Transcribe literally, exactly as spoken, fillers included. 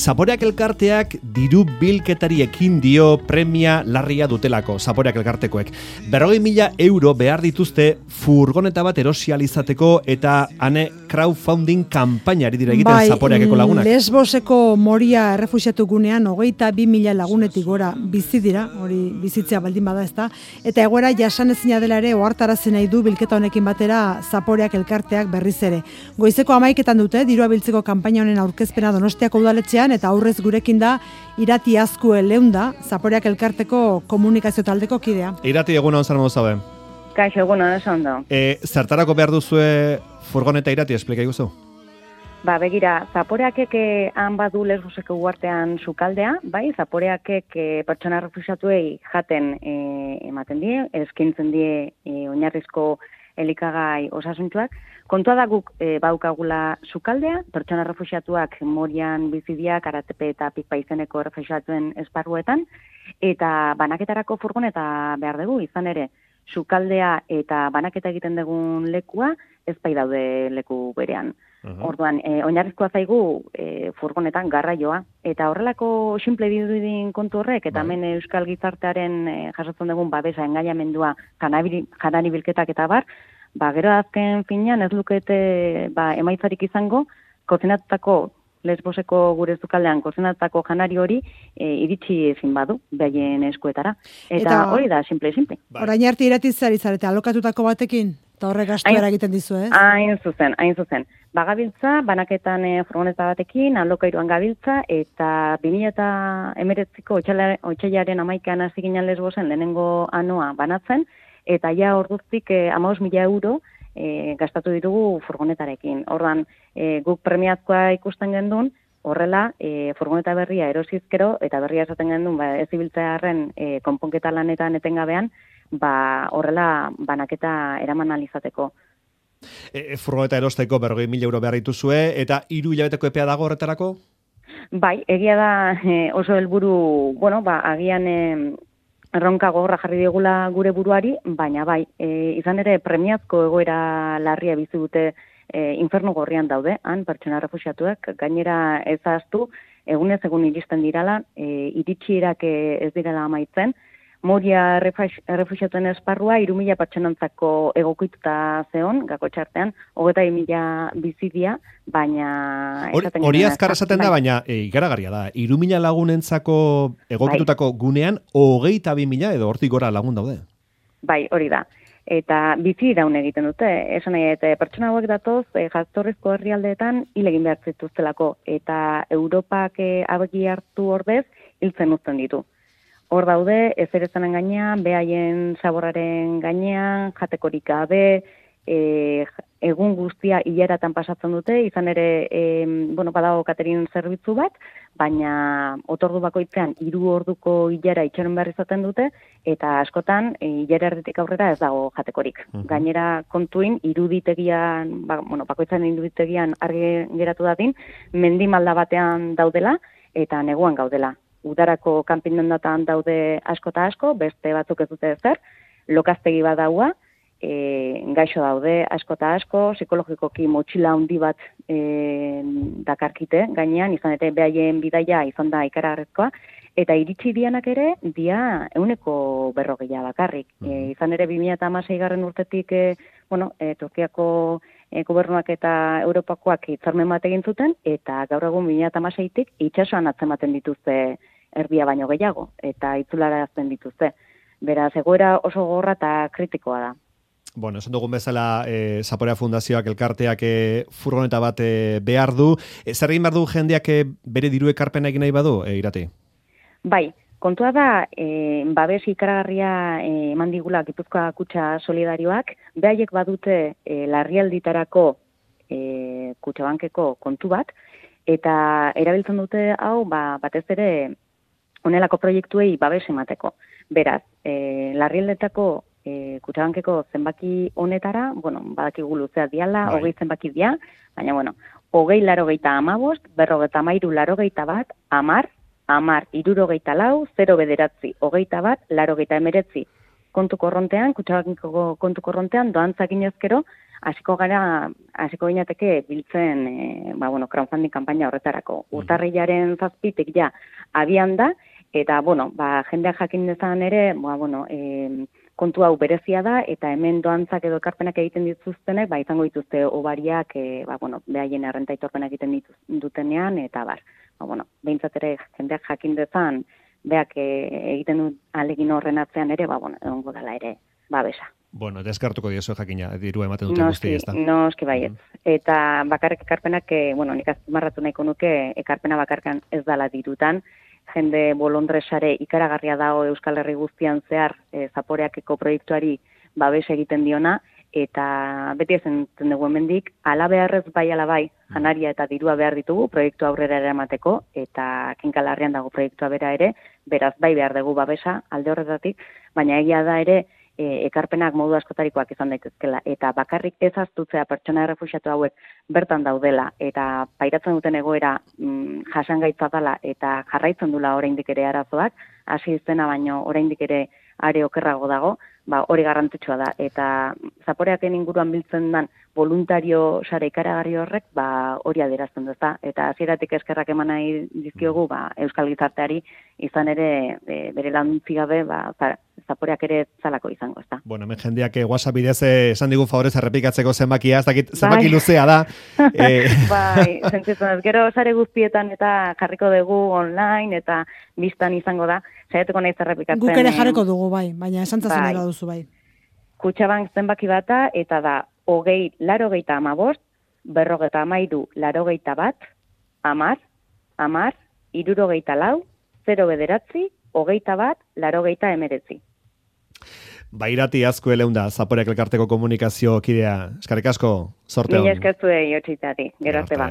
Zaporeak elkarteak diru bilketari ekin dio premia larria dutelako, Zaporeak elkartekoek. Berrogei mila euro behar dituzte furgoneta bat erosial izateko eta ane crowdfunding kanpainari dira egiten bai, Zaporeakeko lagunak. Lesboseko Moria errefuxiatu gunean hogeita bi mila lagunetik gora bizi dira, hori bizitzea baldin bada ezta, eta egoera jasanezina dela ere ohartarazi nahi du bilketa honekin batera Zaporeak elkarteak berriz ere. Goizeko hamaiketan dute dirua biltzeko kanpaina honen aurkezpena Donostiako udaletxean eta aurrez gurekin da Irati Azkue Leunda, Zaporeak elkarteko komunikazio taldeko kidea. Irati, eguna on zara modu zabe? Kaixo, eguna oso ondo. E, zertarako behar duzue furgoneta, Irati, esplika iguzu? Ba, begira, Zaporeakek han badu Lesboseko uartean sukaldea, bai, Zaporeakek e, pertsona refuxiatuei jaten e, ematen die, eskintzen die e, oinarrizko elikagai osasuntzuak. Kontua da guk e, baukagula sukaldea, pertsona refuxiatuak Morian bizidiak, Aratepe eta Pikpa izeneko refuxiatuen esparruetan, eta banaketarako furgoneta behar dugu, izan ere, sukaldea eta banaketa egiten dugun lekua ez bai daude leku berean. Uh-huh. Orduan, e, oinarrizkoa zaigu e, furgonetan garraioa, eta horrelako simple dirudin kontu horrek, eta hemen Euskal Gizartearen e, jasotzen dugun babesa, engaiamendua, janari bilketak eta bar, ba, gero azken finean ez lukete ba, emaitzarik izango, kozinatutako Lesboseko gure sukaldean kozinatutako janari hori e, iritsi ezin badu, behaien eskuetara. Eta, eta hori da, simple-simple. Orain arte iratitzari zarete, alokatutako batekin, eta horrek gastuera egiten dizu, ez? Hain zuzen, hain zuzen. Bagabiltza, banaketan e, furgoneta batekin, alokairuan gabiltza, eta bi mila hemeretziko otsailaren hamaikaan hasi ginen Lesbosen lehenengo anoa banatzen, eta ja orduztik eh, hamabost mila euro eh, gastatu ditugu furgonetarekin. Orduan, eh, guk premiazkoa ikusten gendun, horrela, eh, furgoneta berria erosizkero, eta berria esaten gendun, ba, ez ibiltzearen eh, konponketa lanetan etengabean, ba, horrela banaketa eraman alizateko. E, furgoneta erosteko berrogei mila euro behar dituzue, eta hiru hilabeteko epea dago horretarako? Bai, egia da eh, oso helburu, bueno, ba, agian eh, erronka gogorra jarri digula gure buruari, baina bai, e, izan ere premiazko egoera larria bizi dute e, infernu gorrian daude, han pertsona refuxiatuak, gainera ez ahaztu, egunez egun iristen dirala, e, iritsierak ez direla amaitzen, Moria refuxiatuen esparrua hiru mila pertsonantzako egokituta zeon, gako txartean, hogeita mila bizidia, baina... Hori azkar esaten da, baina e, ikaragarria da. Hiru mila lagunentzako egokitutako bai. Gunean, hogeita bi mila edo hortik gora lagun daude. Bai, hori da. Eta bizi iraun egiten dute. Esan nahi, eta pertsona hauek datoz, e, jaztorrizko herrialdeetan hilegin behar zituztelako. Eta Europak e, abegi hartu ordez, hiltzen uzten ditu. Hor daude, ez ere zanen gainean, behaien saborraren gainean, jatekorik gabe, e, egun guztia hileratan pasatzen dute, izan ere, e, bueno, badago katerin zerbitzu bat, baina otordu bakoitzean hiru orduko hilera itxoren behar izaten dute, eta askotan hilera erditik aurrera ez dago jatekorik. Uh-huh. Gainera kontuin, iruditegian, ba, bueno, bakoitzan iruditegian argi geratu dadin, mendimalda batean daudela, eta neguan gaudela. Udarako kanpindondatan daude asko eta asko, beste batzuk ez dute ezer, lokaztegi bat daua, e, gaixo daude asko eta asko, psikologikoki motxila handi bat e, dakarkite gainean, izan ere behaien bidaia izan da ikaragarrezkoa, eta iritsi dianak ere, dia euneko berrogeia bakarrik. E, izan ere bi mila hamasei garren urtetik, e, bueno, e, Turkiako e, gobernuak eta Europakoak hitzarmen bat egin zuten, eta gaur egun bi mila hamaseitik itsasoan atzematen dituzte erdia baino gehiago, eta itzularazten dituzte. Beraz, egoera oso gogorra eta kritikoa da. Bueno, esan dugun bezala, e, Zaporea Fundazioak elkarteak e, furgoneta bat e, behar du. E, zer egin behar du jendeak e, bere diru ekarpena egin nahi badu, e, Irati? Bai, kontua da, e, babes ikaragarria e, eman digula Gipuzkoa Kutxa Solidarioak, behaiek badute e, larrialditarako e, Kutxabankeko kontu bat, eta erabiltzen dute hau, ba, batez ere, honelako proiektuei babes emateko. Beraz, e, larrialdetako e, Kutxabankeko zenbaki honetara, bueno, badakigu luzea diala, bai. hogei zenbaki dia, baina, bueno, hogei larogeita amabost, berrogeita amairu larogeita bat, amar, amar, irurogeita lau, zero bederatzi, hogeita bat, larogeita emeretzi. Kontu korrontean, Kutxabankeko kontu korrontean, doantzakin ezkero, hasiko gara, hasiko ginateke biltzen, e, ba, bueno, crowdfunding kanpaina horretarako. Urtarrilaren zazpitik ja abian da, eta, bueno, ba, jendeak jakin dezan ere, ba, bueno, e, kontu hau berezia da, eta hemen doantzak edo ekarpenak egiten dituztenek, ba, izango dituzte obariak, e, ba, bueno, behaien errenta itorpenak egiten dituz, dutenean, eta bar, ba, bueno, behintzat ere jendeak jakin dezan, beak e, egiten du alegin horren atzean ere, ba, bueno, egongo dela ere, babesa. Bueno, deskartuko diozu jakina, diru ematen duten guzti, ez da? Noski baiet. Mm. Eta bakarrik ekarpenak, bueno, nik azpimarratu nahiko nuke, ekarpena bakarkan ez dala dirutan, jende bolondresare ikaragarria dago Euskal Herri guztian zehar e, zaporeakeko proiektuari babes egiten diona, eta beti ezen dugu hemendik, ala beharrez bai ala bai, janaria eta dirua behar ditugu proiektu aurrera eramateko, eta kinkalarrian dago proiektua bera ere, beraz bai behar dugu babesa alde horretatik, baina egia da ere, E, ekarpenak modu askotarikoak izan daitezkela, eta bakarrik ez aztutzea pertsona errefuxiatu hauek bertan daudela, eta pairatzen duten egoera mm, jasangaitza dela, eta jarraitzen dula oraindik ere arazoak, hasi izena baino oraindik ere are okerrago dago, ba, hori garrantzitsua da, eta zaporeaken inguruan biltzen den voluntario sare ikaragarri horrek, ba, hori adierazten du, eta hasieratik eskerrak eman nahi dizkiogu, ba, Euskal Gizarteari izan ere e, bere lantzi gabe, ba, zaporeak ere zalako izango, ezta. Bueno, hemen jendeak eh, WhatsApp bidez esan digu favorez errepikatzeko zenbakia, ez dakit zenbaki bai. Luzea da. eh. Bai, sentitzen ez, gero sare guztietan eta jarriko dugu online eta biztan izango da, saiatuko nahi zerrepikatzen. Guk ere jarriko dugu, bai, baina esantzazen bai. Duzu, bai. Kutxabank zenbaki bata, eta da, hogei, larogeita amabost, berrogeta amairu, larogeita bat, amar, amar, irurogeita lau, zero bederatzi, hogeita bat, larogeita emeretzi. Bairati azko eleunda, Zaporeak elkarteko komunikazio kidea. Eskarrik asko, sorte hon. Mila eskertu egin, gero arte ba.